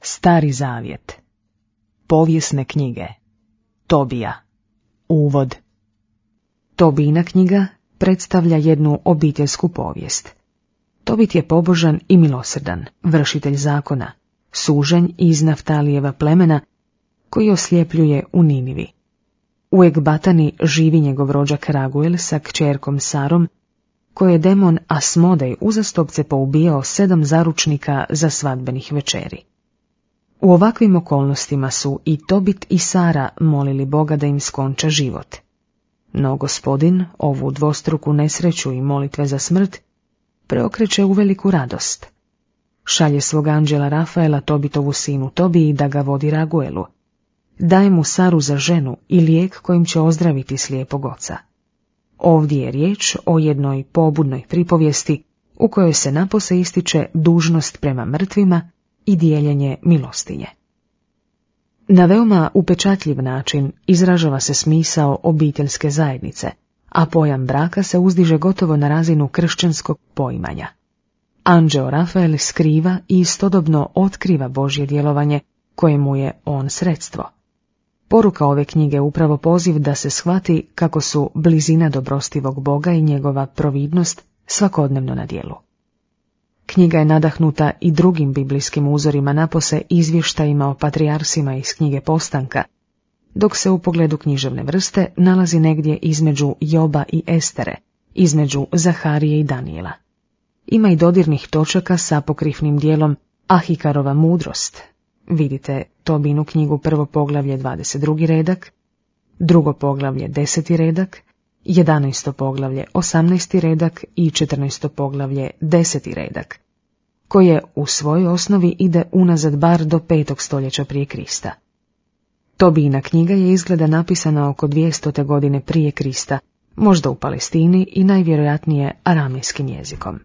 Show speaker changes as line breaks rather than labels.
Stari zavjet. Povijesne knjige. Tobija. Uvod. Tobijina knjiga predstavlja jednu obiteljsku povijest. Tobit je pobožan i milosrdan, vršitelj zakona, suženj iz Naftalijeva plemena, koji osljepljuje u Ninivi. U Ekbatani živi njegov rođak Raguel sa kćerkom Sarom, koje je demon Asmodej uzastopce poubijao 7 zaručnika za svadbenih večeri. U ovakvim okolnostima su i Tobit i Sara molili Boga da im skonča život. No Gospodin ovu dvostruku nesreću i molitve za smrt preokreće u veliku radost. Šalje svog anđela Rafaela Tobitovu sinu Tobiji da ga vodi Raguelu. Daje mu Saru za ženu i lijek kojim će ozdraviti slijepog oca. Ovdje je riječ o jednoj pobudnoj pripovijesti u kojoj se napose ističe dužnost prema mrtvima i dijeljenje milostinje. Na veoma upečatljiv način izražava se smisao obiteljske zajednice, a pojam braka se uzdiže gotovo na razinu kršćanskog poimanja. Anđeo Rafael skriva i istodobno otkriva Božje djelovanje kojemu je on sredstvo. Poruka ove knjige je upravo poziv da se shvati kako su blizina dobrostivog Boga i njegova providnost svakodnevno na djelu. Knjiga je nadahnuta i drugim biblijskim uzorima, napose izvještajima o patrijarsima iz knjige Postanka, dok se u pogledu književne vrste nalazi negdje između Joba i Estere, između Zaharije i Danijela. Ima i dodirnih točaka sa apokrifnim dijelom Ahikarova mudrost. Vidite Tobinu knjigu 1. poglavlje 22. redak, 2. poglavlje 10. redak, 11. poglavlje 18. redak i 14. poglavlje 10. redak, koje u svojoj osnovi ide unazad bar do 5. stoljeća prije Krista. Tobijina knjiga je izgleda napisana oko 200. godine prije Krista, možda u Palestini i najvjerojatnije aramejskim jezikom.